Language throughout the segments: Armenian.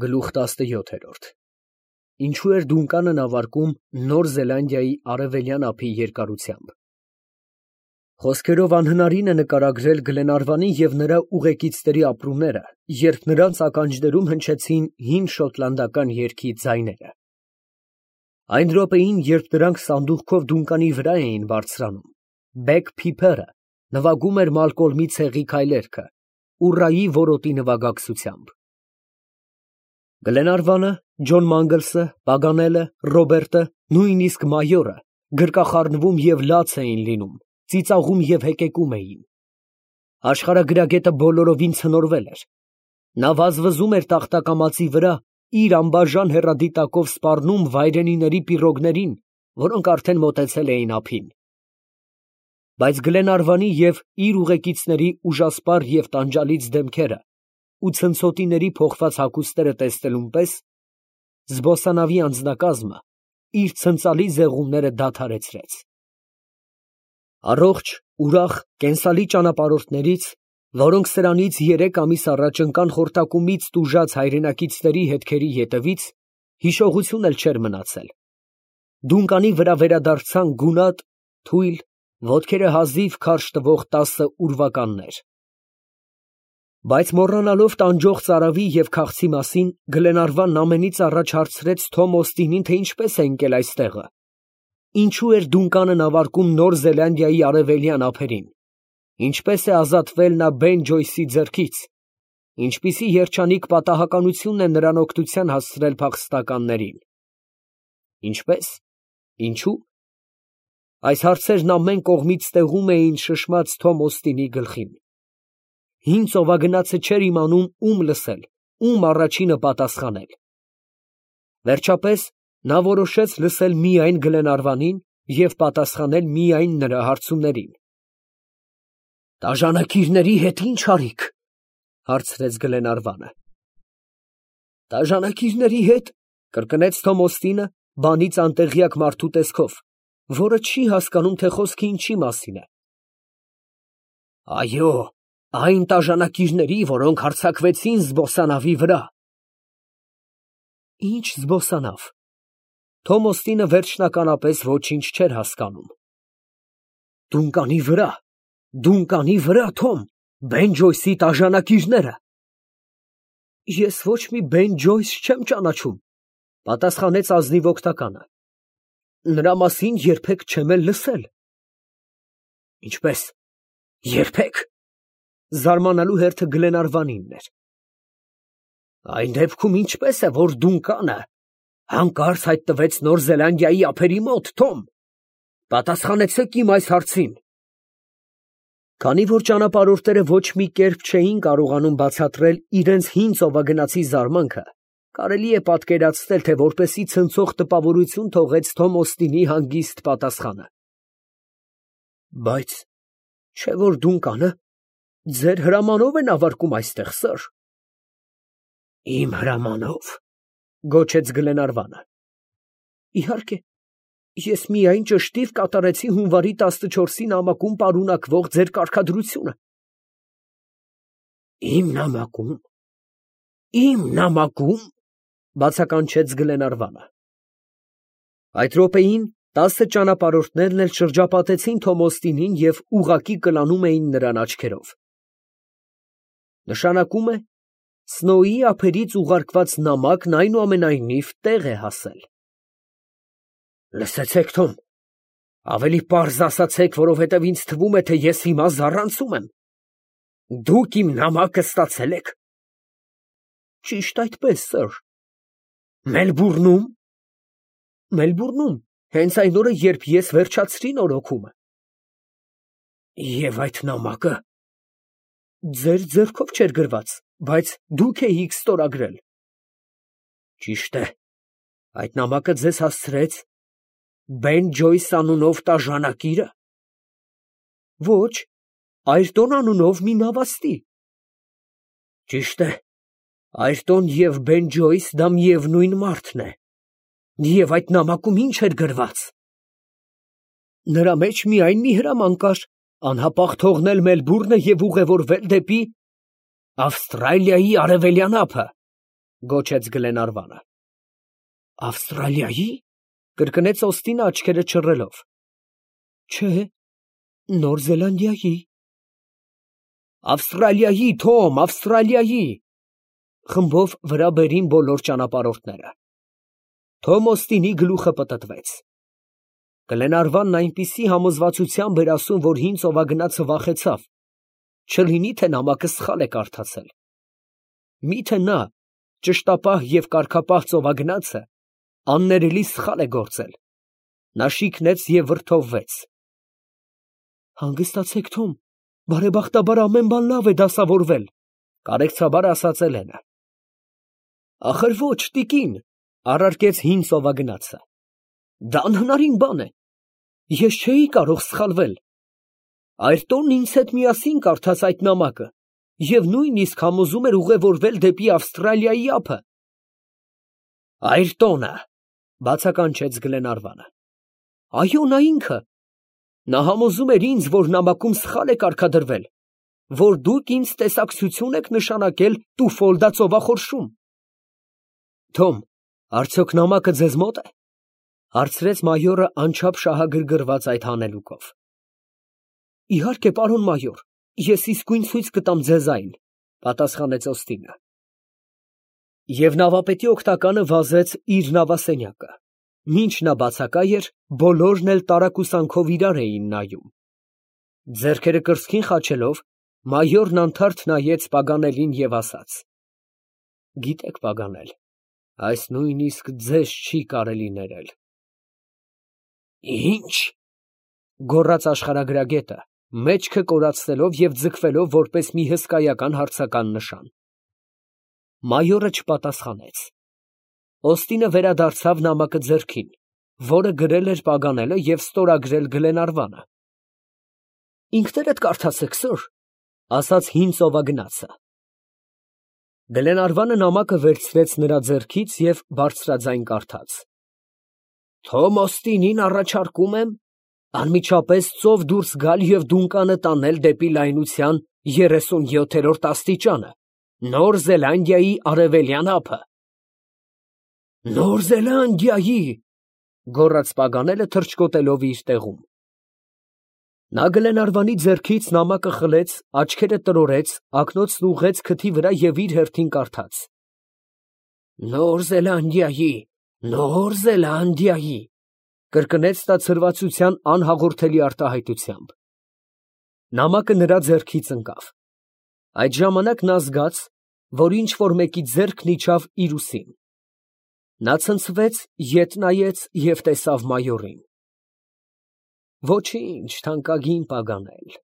Գլուխ 17 Ինչու էր Դունկանը նավարկում Նոր Զելանդիայի արևելյան ափի երկարությամբ։ Խոսքերով անհնարին է նկարագրել Գլենարվանի և նրա ուղեկիցների ապրումները, երբ նրանց ականջներում հնչեցին հին շոտլանդական երգի ձայները։ Այն րոպեին, երբ նրանք սանդուղքով Դունկանի վրա էին բարձրանում, Բեգ Փիփերը նվագում էր Մալկոլմի ցեղի քայլերգը, ուռայի որոտի նվագակցությամբ։ Գլենարվանը, Ջոն Մանգլսը, Պագանելը, Ռոբերտը, նույնիսկ մայորը գրկախառնվում և լաց էին լինում, ծիծաղում և հեկեկում էին։ Աշխարհագրագետը բոլորովին ցնորվել էր։ Նա վազվզում էր տախտակամածի վրա, իր անբաժան հեռադիտակով սպառնում վայրենիների պիրոգներին, որոնք արդեն մոտեցել էին ափին։ Բայց Գլենարվանի և իր ուղեկիցների ուժասպառ և տանջալից դեմքերը ու ցնցոտիների փոխված հագուստները տեսնելուն պես զբոսանավի անձնակազմը իր ցնծալի զեղումները դադարեցրեց։ Առողջ, ուրախ, կենսալի ճանապարհորդներից, որոնք սրանից 3 ամիս առաջ ընկան խորտակումից տուժած հայրենակիցների հետքերի ետևից, հիշողություն էլ չէր մնացել։ Դունկանի վրա վերադարձան գունատ, թույլ, ոտքերը հազիվ քարշ տվող 10 ուրվականներ։ Բայց մոռանալով տանջող ծարավի և քաղցի մասին, Գլենարվանն ամենից առաջ հարցրեց Թոմ Օստինին, թե ինչպես է ընկել այստեղը։ Ինչու էր Դունկանը նավարկում Նոր Զելանդիայի արևելյան ափերին։ Ինչպես է ազատվել նա Բեն Ջոյսի ձեռքից։ Ինչպիսի երջանիկ պատահականություն է նրան օգնության հասցրել փախստականներին։ Ինչպես։ Ինչու։ Այս հարցերն ամեն կողմից ստեղում էին շշմած Թոմ Օստինի գլխին։ Հին ծովագնացը չէր իմանում ում լսել, ում առաջինը պատասխանել։ Վերջապես նա որոշեց լսել միայն Գլենարվանին և պատասխանել միայն նրա հարցումներին։ «Տաժանակիրների հետ ի՞նչ արիք», հարցրեց Գլենարվանը։ «Տաժանակիրների հետ», կրկնեց Թոմ Օստինը բանից անտեղյակ մարդու տեսքով, որը չի հասկանում, թե խոսքը ինչի մասին է։ «Այո, այն տաժանակիրների, որոնք հարձակվեցին զբոսանավի վրա»։ Ի՞նչ զբոսանավ։ Թոմ Օստինը վերջնականապես ոչինչ չէր հասկանում։ Դունկանի վրա, Թոմ, Բեն Ջոյսի տաժանակիրները։ Ես ոչ մի Բեն Ջոյս չեմ ճանաչում, պատասխանեց ազնիվ օգնականը։ Նրա մասին երբեք չեմ էլ լսել։ Ինչպես, երբեք։ Զարմանալու հերթը Գլենարվանինն էր։ Այն դեպքում ինչպես է, որ Դունկանը հանկարծ հայտնվեց Նոր Զելանդիայի ափերի մոտ, Թոմ։ Պատասխանեցեք իմ այս հարցին։ Քանի որ ճանապարհորդները ոչ մի կերպ չէին կարողանում բացատրել իրենց հին ծովագնացի զարմանքը, կարելի է պատկերացնել, թե որպեսի ցնցող տպավորություն թողեց Թոմ Օստինի հանգիստ պատասխանը։ Բայց չէ՞ որ Դունկանը ձեր հրամանով է նավարկում այստեղ, սըր։ Իմ հրամանով, գոչեց Գլենարվանը։ Իհարկե, ես միայն ճշտիվ կատարեցի հունվարի 14-ի նամակում պարունակվող ձեր կարգադրությունը։ Իմ նամակում, բացականչեց Գլենարվանը։ Այդ րոպեին 10 ճանապարհորդներն էլ շրջապատեցին Թոմ Օստինին և ուղղակի կլանում էին նրան աչքերով։ Նշանակում է, Սնոուի ափերից ուղարկված նամակն այնուամենայնիվ տեղ է հասել։ Լսեցեք, Թոմ, ավելի պարզ ասացեք, որովհետև ինձ թվում է, թե ես հիմա զառանցում եմ։ Դուք իմ նամակը ստացել եք։ Ճիշտ այդպես, սըր։ Մելբուրնում։ Մելբուրնում, հենց այն օրը, երբ ես վերջացրի նորոգումը։ Եվ այդ նամակը ձեր ձեռքով չէր գրված, բայց դուք էիք ստորագրել։ Ճիշտ է, այդ նամակը ձեզ հասցրեց Բեն Ջոյս անունով տաժանակիրը։ Ոչ, Այրտոն անունով մի նավաստի։ Ճիշտ է, Այրտոն և Բեն Ջոյս դա միևնույն մարդն է։ Եվ այդ նամակում ի՞նչ էր գրված։ Նրա մեջ միայն մի հրաման կար. անհապաղ թողնել Մելբուրնը և ուղևորվել դեպի Ավստրալիայի արևելյան ափը։ Գոչեց Գլենարվանը։ Ավստրալիայի։ Կրկնեց Օստինը աչքերը չռելով։ Չէ, Նոր Զելանդիայի։ Ավստրալիայի, Թոմ, Ավստրալիայի։ Խմբով վրա բերին բոլոր ճանապարհորդները։ Թոմ Օստինի գլուխը պտտվեց։ Գլենարվանն այնպիսի համոզվածությամբ էր ասում, որ հին ծովագնացը վախեցավ, չլինի թե նամակը սխալ է կարդացել։ Միթե նա, ճշտապահ և կարգապահ ծովագնացը, աններելի սխալ է գործել։ Նա շիկնեց և վրդովվեց։ Հանգստացեք, Թոմ, բարեբախտաբար ամեն բան լավ է դասավորվել, կարեկցաբար ասաց Էլենը։ Ախր ոչ, տիկին, առարկեց հին ծովագնացը։ Դա անհնարին բան է։ Ես չէի կարող սխալվել։ Այրտոնն ինձ հետ միասին կարդաց այդ նամակը և նույնիսկ համոզում էր ուղևորվել դեպի Ավստրալիայի ափը։ Այրտոնը, բացականչեց Գլենարվանը։ Այո, նա ինքը։ Նա համոզում էր ինձ, որ նամակում սխալ է կարգադրվել, որ դուք ինձ տեսակցություն եք նշանակել Տուֆոլդա ծովախորշում։ Թոմ, արդյոք նամակը ձեզ մոտ է, հարցրեց մայորը անչափ շահագրգռված այդ հանելուկով։ Իհարկե, պարոն մայոր, ես իսկույն ցույց կտամ ձեզ այն, պատասխանեց Օստինը։ Եվ նավապետի օգնականը վազեց իր նավասենյակը։ Մինչ նա բացակայ էր, բոլորն էլ տարակուսանքով իրար էին նայում։ Ձեռքերը կրծքին խաչելով, մայորն անթարթ նայեց Պագանելին և ասաց. Գիտեք, Պագանել, այս նույնիսկ ձեզ չի կարելի ներել։ Ինչ, գոռաց աշխարհագրագետը, մեջքը կորացնելով և ձգվելով որպես մի հսկայական հարցական նշան։ Մայորը չպատասխանեց։ Օստինը վերադարձավ նամակը ձեռքին, որը գրել էր Պագանելը և ստորագրել Գլենարվանը։ Ինքներդ կարդացեք, սըր, ասաց հին ծովագնացը։ Գլենարվանը նամակը վերցրեց նրա ձեռքից և բարձրաձայն կարդաց. Թոմ Օստինին առաջարկում եմ անմիջապես ծով դուրս գալ և դունկանը տանել դեպի լայնության 37-րդ աստիճանը, Նոր Զելանդիայի արևելյան ափը։ Նոր Զելանդիայի, գոռաց Պագանելը թռչկոտելով իր տեղում։ Նա Գլենարվանի ձեռքից նամակը խլեց, աչքերը տրորեց, ակնոցն ուղղեց քթի վրա և իր հերթին կարդաց. Նոր Զելանդիայի, Նոր Զելանդիայի, կրկնեց նա ցրվածության անհաղորդելի արտահայտությամբ։ Նամակը նրա ձեռքից ընկավ։ Այդ ժամանակ նա զգաց, որ ինչ֊որ մեկի ձեռքն իջավ իր ուսին։ Նա ցնցվեց, ետ նայեց և տեսավ մայորին։ Ոչինչ, թանկագին Պագանել,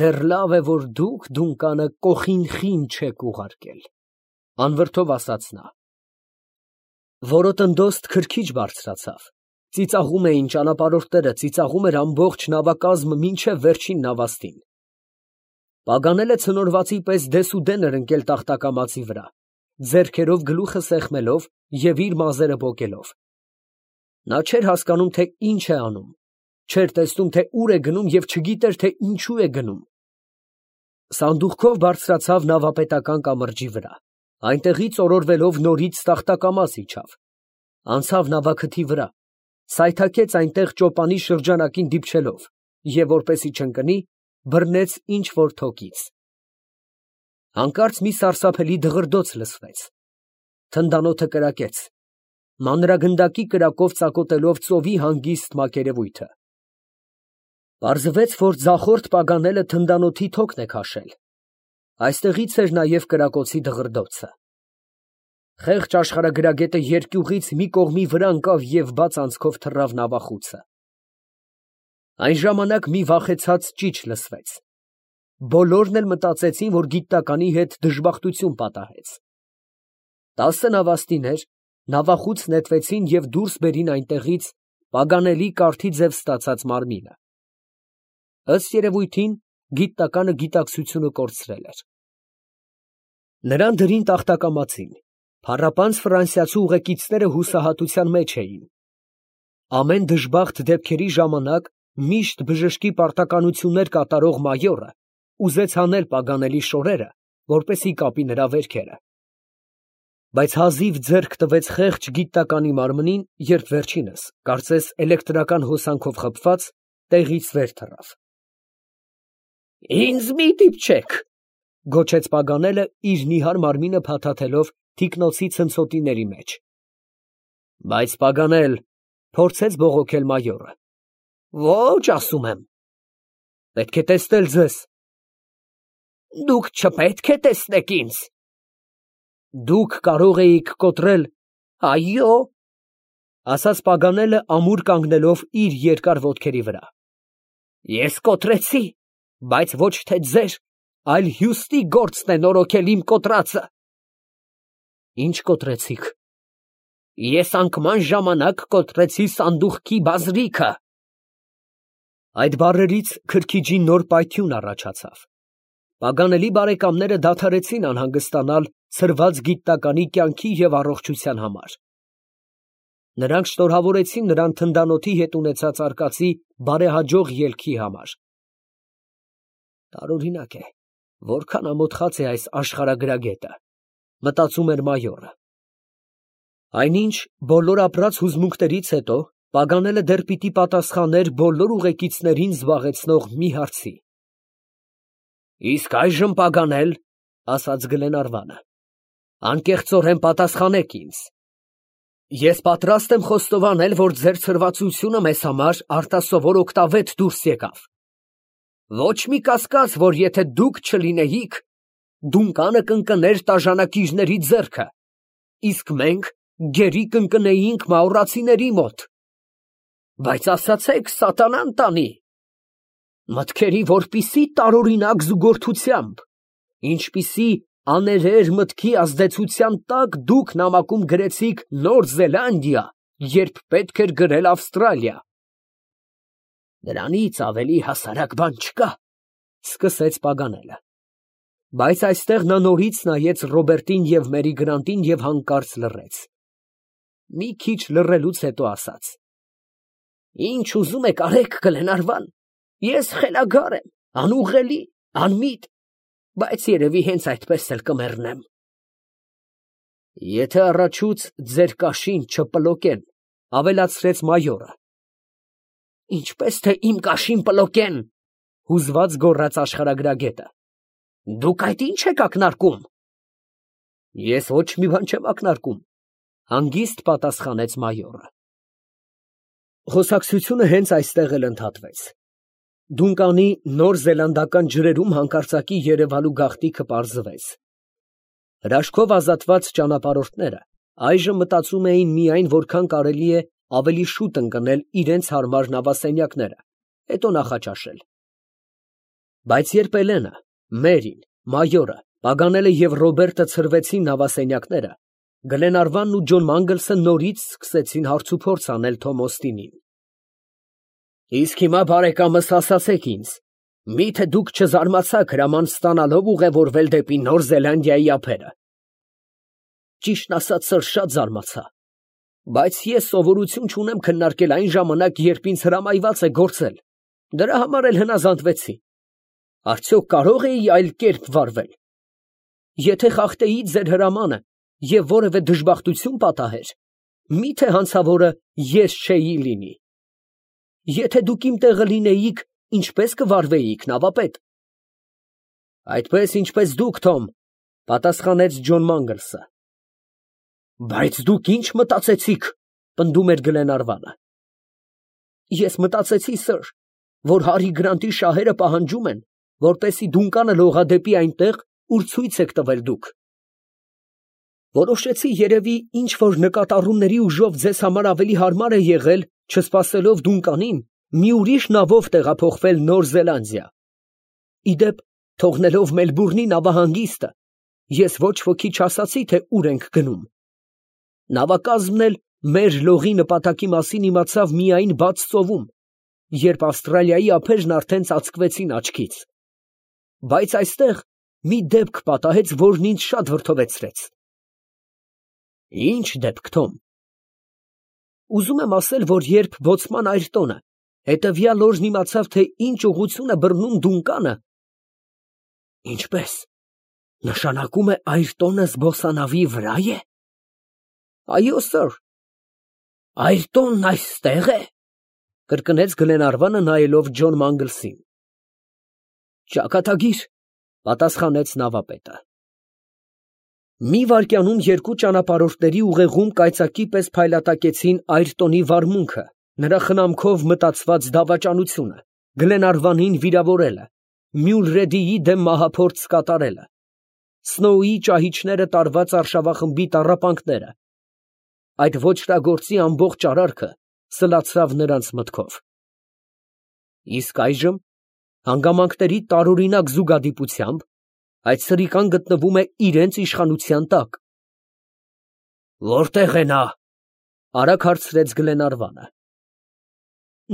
դեռ լավ է, որ դուք դունկանը կոխինխին չեք ուղարկել, անվրդով ասաց նա։ Որոտնդոստ քրքիջ բարձրացավ։ Ծիծաղում էին ճանապարհորդները, ծիծաղում էր ամբողջ նավակազմը մինչև վերջին նավաստին։ Պագանելը ցնորվածի պես դեսուդեն էր ընկել տախտակամածի վրա, ձեռքերով գլուխը սեղմելով և իր մազերը պոկելով։ Նա չէր հասկանում, թե ինչ է անում, չէր տեսնում, թե ուր է գնում և չգիտեր, թե ինչու է գնում։ Սանդուղքով բարձրացավ նավապետական կամրջի վրա, այնտեղից օրորվելով նորից տախտակամաց իջավ, անցավ նավաքթի վրա, սայթաքեց այնտեղ ճոպանի շրջանակին դիպչելով և, որպեսզի չընկնի, բռնեց ինչ֊որ թոկից։ Հանկարծ մի սարսափելի դղրդոց լսվեց։ Թնդանոթը կրակեց, մանրագնդակի կրակով ծակոտելով ծովի հանգիստ մակերևույթը։ Պարզվեց, որ ձախորդ Պագանելը թնդանոթի թոկն է քաշել։ Այստեղից էր նաև կրակոցի դղրդոցը։ Խեղճ աշխարհագրագետը երկյուղից մի կողմի վրա ընկավ և բաց անցքով թռավ նավախուցը։ Այն ժամանակ մի վախեցած ճիչ լսվեց։ Բոլորն էլ մտածեցին, որ գիտնականի հետ դժբախտություն պատահեց։ 10 նավաստիներ նավախուց նետվեցին և դուրս բերին այնտեղից Պագանելի կառքի ձև ստացած մարմինը։ Ըստ երևույթին, գիտնականը գիտակցությունը կորցրել էր։ Նրան դրին տախտակամածին, փառապանծ ֆրանսիացու ուղեկիցները հուսահատության մեջ էին։ Ամեն դժբախտ դեպքերի ժամանակ միշտ բժշկի պարտականություններ կատարող մայորը ուզեց հանել Պագանելի շորերը, որպեսզի կապի նրա վերքերը։ Բայց հազիվ ձեռք տվեց խեղճ գիտականի մարմնին, երբ վերջինս, կարծես էլեկտրական հոսանքով խփված, տեղից վեր թռավ։ «Ինձ մի դիպչեք», գոչեց Պագանելը, իր նիհար մարմինը փաթաթելով թիկնոցի ցնցոտիների մեջ։ Բայց Պագանել, փորձեց բողոքել մայորը։ Ոչ, ասում եմ։ Պետք է տեսնել ձեզ։ Դուք չպետք է տեսնեք ինձ։ Դուք կարող էիք կոտրել, այո, ասաց Պագանելը ամուր կանգնելով իր երկար ոտքերի վրա։ Ես կոտրեցի, բայց ոչ թե ձեր, այլ հյուստի գործն է նորոգել իմ կոտրածը։ Ինչ կոտրեցիք։ Ես անկման ժամանակ կոտրեցի սանդուղքի բազրիքը։ Այդ բառերից քրքիջի նոր պայթյուն առաջացավ։ Պագանելի բարեկամները դադարեցին անհանգստանալ ցրված գիտականի կյանքի և առողջության համար։ Նրանք շնորհավորեցին նրան թնդանոթի հետ ունեցած արկածի բարեհաջող ելքի համար։ Տարօրինակ է, որքան ամոթխած է այս աշխարհագրագետը, մտածում էր մայորը։ Այնինչ, բոլոր ապրած հուզմունքներից հետո, Պագանելը դեռ պիտի պատասխաներ բոլոր ուղեկիցներին զբաղեցնող մի հարցի։ Իսկ այժմ, Պագանել, ասաց Գլենարվանը, անկեղծորեն պատասխանեք ինձ։ Ես պատրաստ եմ խոստովանել, որ ձեր ցրվածությունը մեզ համար արտասովոր օգտավետ դուրս եկավ։ Ոչ մի կասկած, որ եթե դուք չլինեիք, Դունկանը կընկներ տաժանակիչների ձեռքը, իսկ մենք գերի կընկնեինք մաուրացիների մոտ։ Բայց ասացեք, սատանան տանի, մտքերի որպիսի տարօրինակ զուգորդությամբ, ինչպիսի աներեր մտքի ազդեցության տակ դուք նամակում գրեցիք Նոր Զելանդիա, երբ պետք էր գրել Ավստրալիա։ Դրանից ավելի հասարակ բան չկա, սկսեց Պագանելը։ Բայց այստեղ նա նորից նայեց Ռոբերտին և Մերի Գրանտին և հանկարծ լռեց։ Մի քիչ լռելուց հետո ասաց. Ինչ ուզում եք արեք, Գլենարվան, ես խելագար եմ, անուղղելի, անմիտ, բայց երևի հենց այդպես էլ կմեռնեմ։ Եթե առաջուց ձեր կաշին չպլոկեն, ավելացրեց մայորը։ Ինչպես թե իմ կաշին պլոկեն, հուզված գոռաց աշխարհագրագետը։ Դուք այդ ինչ եք ակնարկում։ Ես ոչ մի բան չեմ ակնարկում, հանգիստ պատասխանեց մայորը։ Խոսակցությունը հենց այստեղ էլ ընդհատվեց։ Դունկանի նոր զելանդական ջրերում հանկարծակի երևալու գաղտնիքը պարզվեց։ Հրաշքով ազատված ճանապարհորդները այժմ մտածում էին միայն որքան կարելի է ավելի շուտ ընկնել իրենց հարմար նավասենյակները, հետո նախաճաշել։ Բայց երբ Էլենը, Մերին, մայորը, Պագանելը և Ռոբերտը ցրվեցին նավասենյակները, Գլենարվանն ու Ջոն Մանգլսը նորից սկսեցին հարցուփորձ անել Թոմ Օստինին։ Իսկ հիմա, բարեկամս, ասացեք ինձ, միթե դուք չզարմացաք հրաման ստանալով ուղևորվել դեպի Նոր Զելանդիայի ափերը։ Ճիշտն ասած, սըր, շատ զարմացա, բայց ես սովորություն չունեմ քննարկել այն ժամանակ, երբ ինձ հրամայված է գործել, դրա համար էլ հնազանդվեցի։ Արդյոք կարող էի այլ կերպ վարվել։ Եթե խախտեի ձեր հրամանը և որևէ դժբախտություն պատահեր, միթե հանցավորը ես չէի լինի։ Եթե դուք իմ տեղը լինեիք, ինչպես կվարվեիք, նավապետ։ Այդպես, ինչպես դուք, Թոմ, պատասխանեց Ջոն Մանգլսը։ Բայց դուք ինչ մտածեցիք, պնդում էր Գլենարվանը։ Ես մտածեցի, սըր, որ Հարի Գրանտի շահերը պահանջում են, որպեսզի Դունկանը լողա դեպի այնտեղ, ուր ցույց եք տվել դուք։ Որոշեցի երևի ինչ որ նկատառումների ուժով ձեզ համար ավելի հարմար է եղել, չսպասելով Դունկանին, մի ուրիշ նավով տեղափոխվել Նոր Զելանդիա։ Իդեպ, թողնելով Մելբուրնի նավահանգիստը, ես ոչ ոքի չասացի, թե ուր ենք գնում։ Նավակազմն էլ մեր լողի նպատակի մասին իմացավ միայն բաց ծովում, երբ Ավստրալիայի ափերն արդեն ծածկվեցին աչքից։ Բայց այստեղ մի դեպք պատահեց, որն ինձ շատ վրդովեցրեց։ Ինչ դեպք, Թոմ։ Ուզում եմ ասել, որ երբ բոցման Այրտոնը հետևյալ օրն իմացավ, թե ինչ ուղղություն է բռնում Դունկանը։ Ինչպես։ Նշանակում է Այրտոնը զբոսանավի վրա է։ Այո, սըր։ Այրտոնն այստեղ է, կրկնեց Գլենարվանը նայելով Ջոն Մանգլսին։ Ճակատագիր, պատասխանեց նավապետը։ Մի վայրկյանում երկու ճանապարհորդների ուղեղում կայծակի պես փայլատակեցին Այրտոնի վարմունքը, նրա խնամքով մտածված դավաճանությունը, Գլենարվանին վիրավորելը, Մյուլրեդիի դեմ մահափորձ կատարելը, Սնոուի ճահիճները տարված արշավախմբի տառապանքները, այդ ոճրագործի ամբողջ արարքը սլացավ նրանց մտքով։ Իսկ այժմ, հանգամանքների տարօրինակ զուգադիպությամբ, այդ սրիկան գտնվում է իրենց իշխանության տակ։ Որտե՞ղ է նա, արագ հարցրեց Գլենարվանը։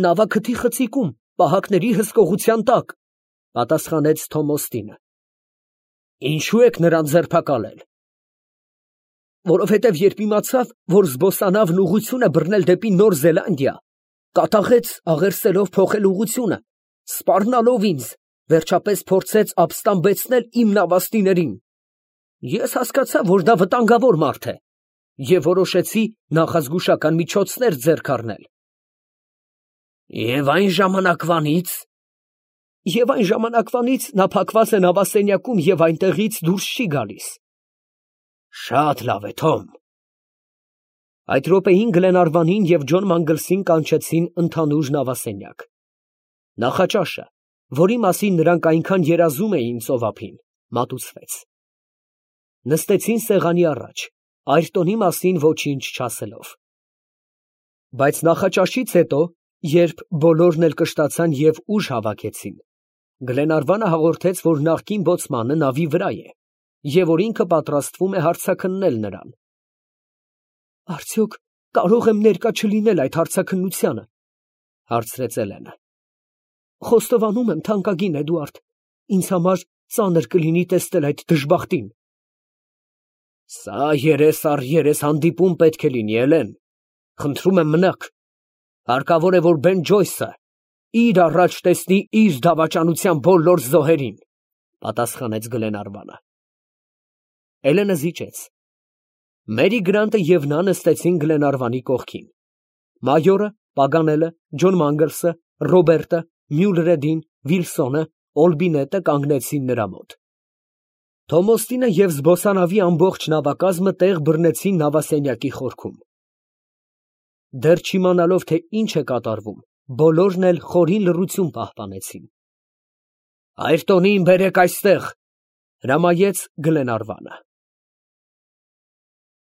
Նավաքթի խցիկում, պահակների հսկողության տակ, պատասխանեց Թոմոստինը։ Ինչու եք նրան ձերբակալել։ Որովհետև երբ իմացավ, որ զբոսանավն ուղղություն է բռնել դեպի Նոր Զելանդիա, կատաղեց աղերսելով փոխել ուղղությունը, սպառնալով ինձ, վերջապես փորձեց ապստամբեցնել իմ նավաստիներին։ Ես հասկացա, որ դա վտանգավոր մարդ է, և որոշեցի նախազգուշական միջոցներ ձեռք առնել։ Եվ այն ժամանակվանից նա փակված է նավասենյակում և այնտեղից դուրս չի գալիս։ Շատ լավ է, Թոմ։ Այդ րոպեին Գլենարվանին և Ջոն Մանգլսին կանչեցին ընդհանուր նավասենյակ։ Նախաճաշը, որի մասին նրանք այնքան երազում էին ծովափին, մատուցվեց։ Նստեցին սեղանի առաջ, Այրտոնի մասին ոչինչ չասելով։ Բայց նախաճաշից հետո, երբ բոլորն էլ կշտացան և ուժ հավաքեցին, Գլենարվանը հաղորդեց, որ նախկին բոցմանը նավի վրա է, և որ ինքը պատրաստվում է հարցաքննել նրան։ Արդյոք կարող եմ ներկա չլինել այդ հարցաքննությանը, հարցրեց Էլենը։ Խոստովանում եմ, թանկագին Էդուարդ, ինձ համար ծանր կլինի տեսնել այդ դժբախտին։ Սա երես առ երես հանդիպում պետք է լինի, Էլեն, խնդրում եմ մնաք։ Հարկավոր է, որ Բեն Ջոյսը իր առաջ տեսնի իր դավաճանության բոլոր զոհերին, պատասխանեց Գլենարվանը։ Էլենը զիջեց։ Մերի Գրանտը և նա նստեցին Գլենարվանի կողքին։ Մայորը, Պագանելը, Ջոն Մանգլսը, Ռոբերտը, Մյուլրեդին, Վիլսոնը, Օլբինետը կանգնեցին նրա մոտ։ Թոմոստինը և զբոսանավի ամբողջ նավակազմը տեղ բռնեցին նավասենյակի խորքում։ Դեռ չիմանալով, թե ինչ է կատարվում, բոլորն էլ խորին լռություն պահպանեցին։ Այրտոնին բերեք այստեղ, հրամայեց Գլենարվանը։